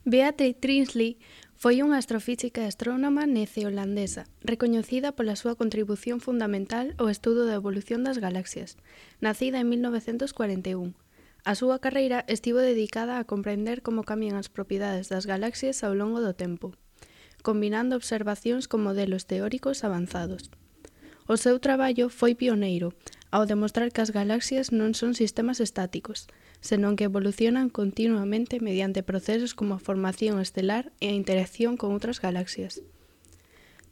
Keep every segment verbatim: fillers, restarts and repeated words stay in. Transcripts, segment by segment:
Beatrice Trindley foi unha astrofísica e astrónoma neozelandesa, recoñecida pola súa contribución fundamental ao estudo da evolución das galaxias, nacida en mil novecentos cuarenta e un. A súa carreira estivo dedicada a comprender como cambian as propiedades das galaxias ao longo do tempo, combinando observacións con modelos teóricos avanzados. O seu traballo foi pioneiro, ao demostrar que as galaxias non son sistemas estáticos, senón que evolucionan continuamente mediante procesos como a formación estelar e a interacción con outras galaxias.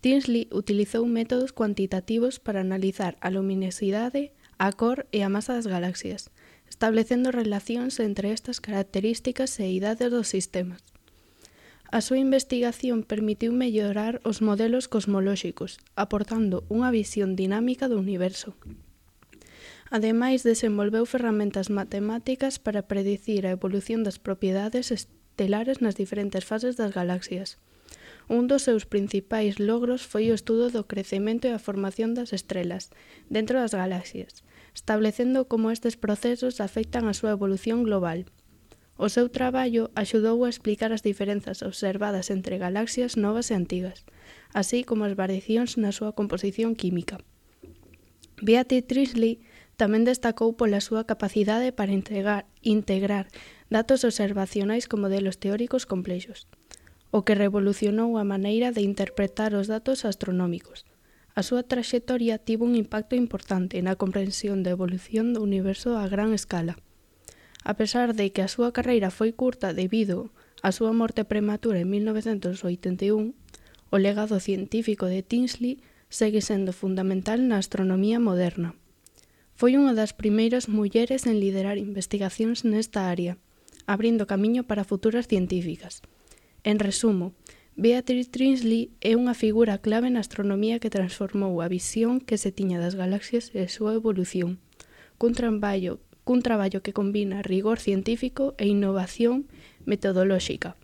Trindley utilizou métodos cuantitativos para analizar a luminosidade, a cor e a masa das galaxias, establecendo relacións entre estas características e idades dos sistemas. A súa investigación permitiu mellorar os modelos cosmolóxicos, aportando unha visión dinámica do universo. Ademais, desenvolveu ferramentas matemáticas para predicir a evolución das propiedades estelares nas diferentes fases das galaxias. Un dos seus principais logros foi o estudo do crecemento e a formación das estrelas dentro das galaxias, establecendo como estes procesos afectan a súa evolución global. O seu traballo axudou a explicar as diferenzas observadas entre galaxias novas e antigas, así como as variacións na súa composición química. Beatrice Trindley tamén destacou pola súa capacidade para integrar, integrar datos observacionais con modelos teóricos complexos, o que revolucionou a maneira de interpretar os datos astronómicos. A súa traxectoria tivo un impacto importante na comprensión da evolución do universo a gran escala. A pesar de que a súa carreira foi curta debido á súa morte prematura en mil novecentos oitenta e un, o legado científico de Trindley segue sendo fundamental na astronomía moderna. Foi unha das primeiras mulleres en liderar investigacións nesta área, abrindo camiño para futuras científicas. En resumo, Beatrice Trindley é unha figura clave na astronomía que transformou a visión que se tiña das galaxias e a súa evolución, cun traballo, cun traballo que combina rigor científico e innovación metodolóxica.